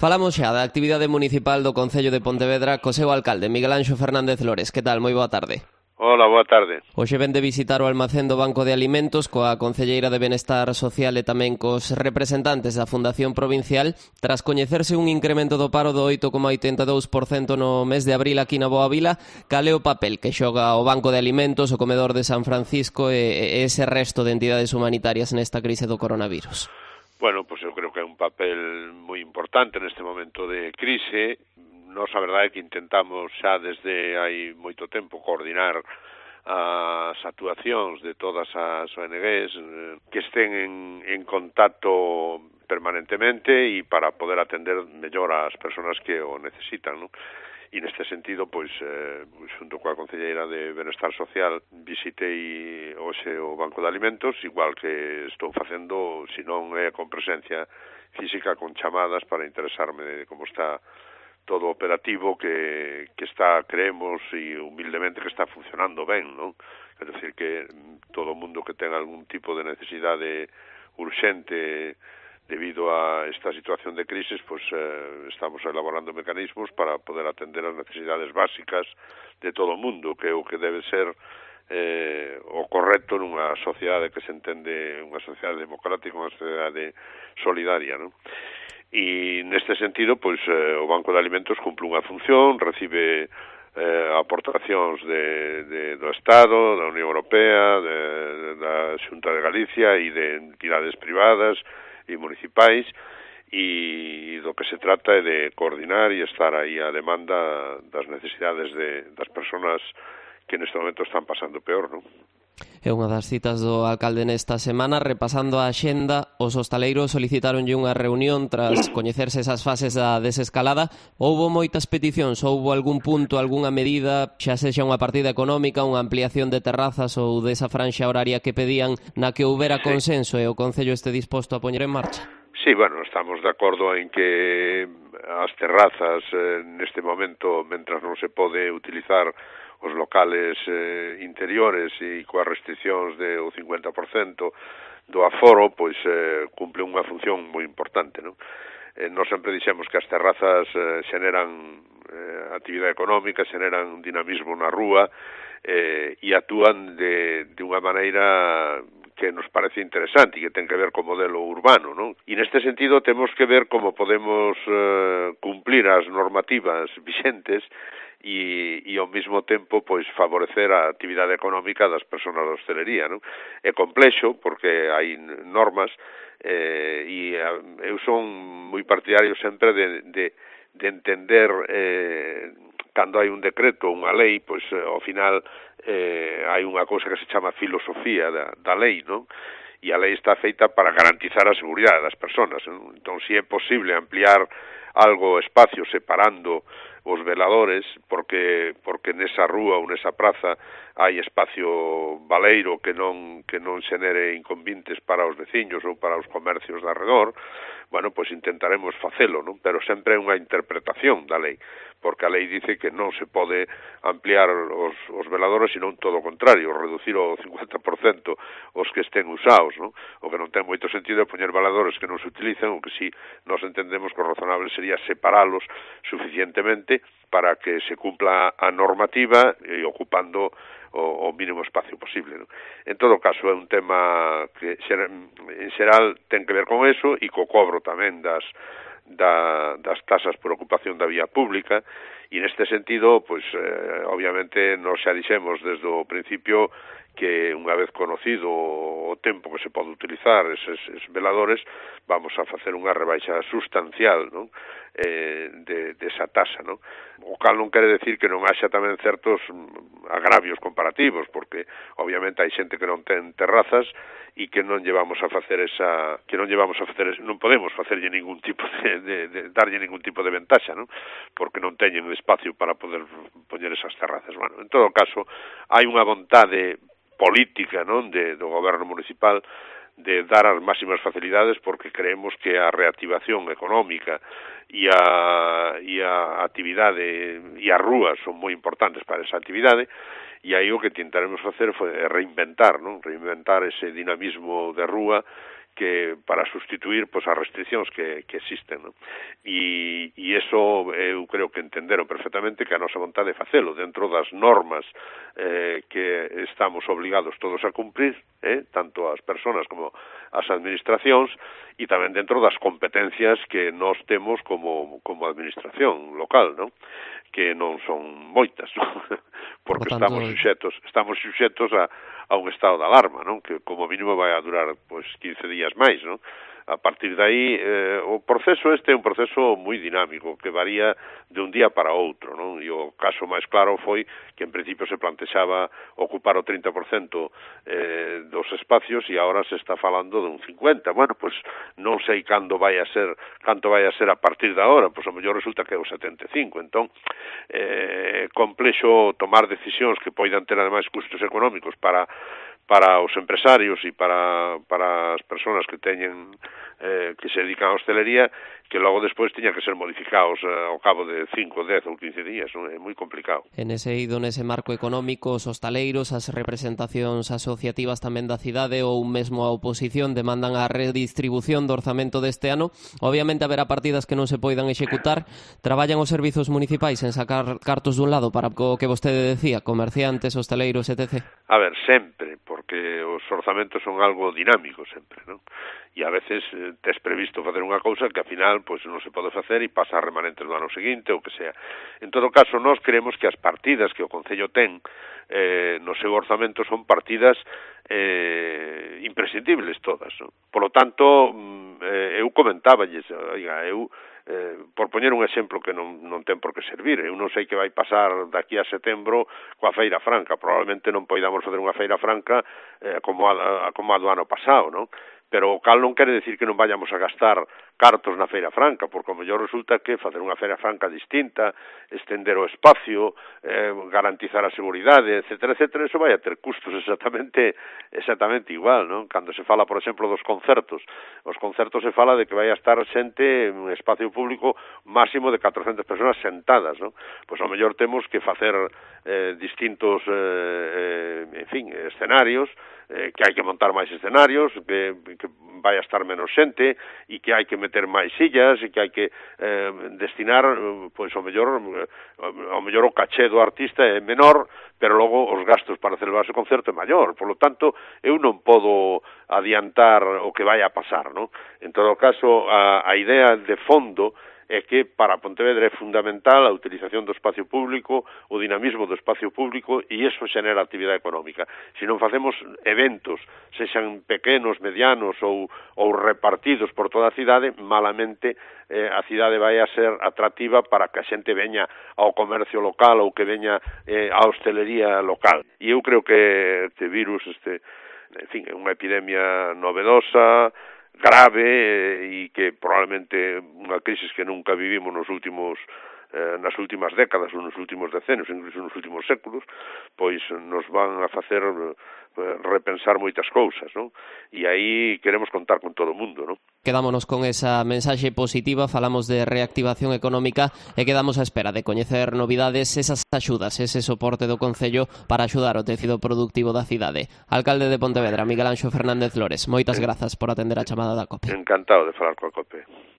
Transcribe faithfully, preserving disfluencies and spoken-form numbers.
Falamos xa da actividade municipal do Concello de Pontevedra co seu alcalde, Miguel Anxo Fernández Lores. Que tal? Moi boa tarde. Hola, boa tarde. Hoxe ven de visitar o almacén do Banco de Alimentos coa Concelleira de Benestar Social e tamén cos representantes da Fundación Provincial tras coñecerse un incremento do paro do oito coma oitenta e dous por cento no mes de abril aquí na Boa Vila. Cal é o papel que xoga o Banco de Alimentos, o Comedor de San Francisco e ese resto de entidades humanitarias nesta crise do coronavirus? Bueno, pues eu creo que é un papel moi importante neste momento de crise. Nos, a verdade, é que intentamos xa desde hai moito tempo coordinar as actuacións de todas as O N Ges que estén en, en contacto permanentemente e para poder atender mellor ás persoas que o necesitan, non? E neste sentido, pois, eh, xunto coa Concelleira de Benestar Social, visitei hoxe o Banco de Alimentos, igual que estou facendo, se non é con presencia física, con chamadas para interesarme de como está todo operativo, que, que está, creemos, e humildemente que está funcionando ben, non? É dicir, que todo mundo que ten algún tipo de necesidade urxente debido a esta situación de crisis, pues eh, estamos elaborando mecanismos para poder atender as necesidades básicas de todo o mundo, que é o que debe ser eh, o correcto nunha sociedade que se entende unha sociedade democrática, unha sociedade solidaria, non? E neste sentido, pois, eh, o Banco de Alimentos cumple unha función, recibe eh, aportacións de, de, do Estado, da Unión Europea, de, de, da Xunta de Galicia e de entidades privadas e municipais, e do que se trata é de coordinar e estar aí a demanda das necesidades de, das persoas que neste momento están pasando peor, non? É unha das citas do alcalde nesta semana. Repasando a axenda, os hostaleiros solicitaronlle unha reunión tras coñecerse esas fases da desescalada. Houbo moitas peticións, houbo algún punto, algunha medida, xa sexa unha partida económica, unha ampliación de terrazas ou desa franxa horaria que pedían, na que houbera consenso e o Concello este disposto a poñer en marcha? Sí, bueno, estamos de acordo en que as terrazas eh, neste momento, mentras non se pode utilizar os locales eh, interiores e coas restriccións de o cincuenta por cento do aforo, pois eh, cumple unha función moi importante, non? Eh, nós sempre dixemos que as terrazas eh, xeneran eh, actividade económica, xeneran dinamismo na rúa eh, e actúan de, de unha maneira que nos parece interesante e que ten que ver co modelo urbano, non? E neste sentido temos que ver como podemos eh, cumplir as normativas vixentes e, e ao mesmo tempo pois favorecer a actividade económica das persoas da hostelería, non? É complexo porque hai normas eh, e eu son moi partidario sempre de, de, de entender eh, cando hai un decreto, unha lei, pois ao final eh, hai unha cousa que se chama filosofía da, da lei, non? E a lei está feita para garantizar a seguridade das persoas, non? Entón, se é posible ampliar algo, espacio, separando os veladores, porque porque nesa rúa ou nesa praza hai espacio baleiro que non que non xenere inconvenientes para os veciños ou para os comercios de arredor, bueno, pois intentaremos facelo, non? Pero sempre é unha interpretación da lei, porque a lei dice que non se pode ampliar os, os veladores, senón todo o contrario, reducir o cincuenta por cento os que estén usados, non? O que non ten moito sentido é poñer veladores que non se utilizan, o que si nos entendemos que o razonable sería separalos suficientemente para que se cumpla a normativa e ocupando o, o mínimo espacio posible, non? En todo caso, é un tema que en xeral ten que ver con eso e co cobro tamén das da, das tasas por ocupación da vía pública, e neste sentido, pois, eh, obviamente, nos xa dixemos desde o principio que unha vez conocido o tempo que se pode utilizar eses, eses veladores, vamos a facer unha rebaixa sustancial, non? Eh, de, de esa tasa, non? O cal non quere decir que non haxa tamén certos agravios comparativos, porque obviamente hai xente que non ten terrazas e que non llevamos a facer esa, que non llevamos a facer, non podemos facerlle ningún tipo de, de, de darlle ningún tipo de ventaxa, non? Porque non teñen espacio para poder poñer esas terrazas. Bueno, en todo caso, hai unha vontade política, non, de, do goberno municipal de dar as máximas facilidades, porque creemos que a reactivación económica e a, e a actividade e as rúas son moi importantes para esa actividade, e aí o que tentaremos facer foi reinventar, non? Reinventar ese dinamismo de rúa que para sustituir pois as restriccións que, que existen, non? E, e iso eu creo que entenderon perfectamente que a nosa vontade é facelo dentro das normas eh, que estamos obligados todos a cumprir, eh, tanto as persoas como as administracións, e tamén dentro das competencias que nós temos como, como administración local, non? Que non son moitas, non? Porque Por tanto, estamos suxetos, estamos suxetos a, a un estado de alarma, non? Que como mínimo vai a durar pois quince días máis, non? A partir de aí, eh, o proceso este é un proceso moi dinámico, que varía de un día para outro, non? E o caso máis claro foi que en principio se plantexaba ocupar o trinta por cento eh, dos espacios e agora se está falando de un cincuenta por cento. Bueno, pois non sei cando vai a ser, canto vai a ser a partir de agora, pois a mellor resulta que é o setenta e cinco por cento. Entón, eh, complexo tomar decisións que poidan ter ademais custos económicos para para os empresarios e para, para as persoas que teñen eh, que se dedican á hostelería, que logo despois tiñan que ser modificados eh, ao cabo de cinco, dez ou quince días, non? É moi complicado. En ese ido, nese marco económico, os hostaleiros, as representacións asociativas tamén da cidade ou mesmo a oposición demandan a redistribución do orzamento deste ano. Obviamente haberá partidas que non se poidan executar. Traballan os servizos municipais en sacar cartos dun lado para o que vostede decía, comerciantes, hostaleiros, etcétera. A ver, sempre, porque os orzamentos son algo dinámico sempre, non? E a veces eh, tes previsto facer unha cousa que ao final pois non se pode facer e pasa a remanentes do ano seguinte ou que sea. En todo caso, nós creemos que as partidas que o Concello ten eh, no seu orzamento son partidas eh, imprescindibles todas, non? Por lo tanto, eh, eu comentáballes, oiga, eu Eh, por poñer un exemplo que non, non ten por que servir, eu non sei que vai pasar daqui a setembro coa Feira Franca, probablemente non poidamos fazer unha Feira Franca eh, como, a, como a do ano pasado, non? Pero o cal non quere decir que non vayamos a gastar cartos na Feira Franca, porque o mellor resulta que facer unha Feira Franca distinta, estender o espacio, eh, garantizar a seguridade, etcétera, etcétera, eso vai a ter custos exactamente exactamente igual, non? Cando se fala, por exemplo, dos concertos, os concertos se fala de que vai a estar xente en un espacio público máximo de catrocentas persoas sentadas, non? Pois ao mellor temos que facer eh, distintos, eh, eh, en fin, escenarios, eh, que hai que montar máis escenarios, que, que vai a estar menos xente e que hai que meter máis sillas e que hai que eh, destinar, pois ao mellor ao mellor o caché do artista é menor, pero logo os gastos para celebrar ese concerto é maior. Por lo tanto, eu non podo adiantar o que vai a pasar, non? En todo caso, a, a idea de fondo é que para Pontevedra é fundamental a utilización do espacio público, o dinamismo do espacio público, e iso xenera actividade económica. Se non facemos eventos, sexan pequenos, medianos ou, ou repartidos por toda a cidade, malamente eh, a cidade vai a ser atractiva para que a xente veña ao comercio local ou que veña eh, á hostelería local. E eu creo que este virus, este, en fin, é unha epidemia novedosa, grave e que probablemente unha crisis que nunca vivimos nos últimos eh, nas últimas décadas ou nos últimos decenios, incluso nos últimos séculos, pois nos van a facer eh, repensar moitas cousas, non? E aí queremos contar con todo o mundo, non? Quedámonos con esa mensaxe positiva, falamos de reactivación económica e quedamos á espera de coñecer novidades, esas axudas, ese soporte do Concello para axudar o tecido productivo da cidade. Alcalde de Pontevedra, Miguel Anxo Fernández Lores, moitas grazas por atender a chamada da COPE. Encantado de falar coa COPE.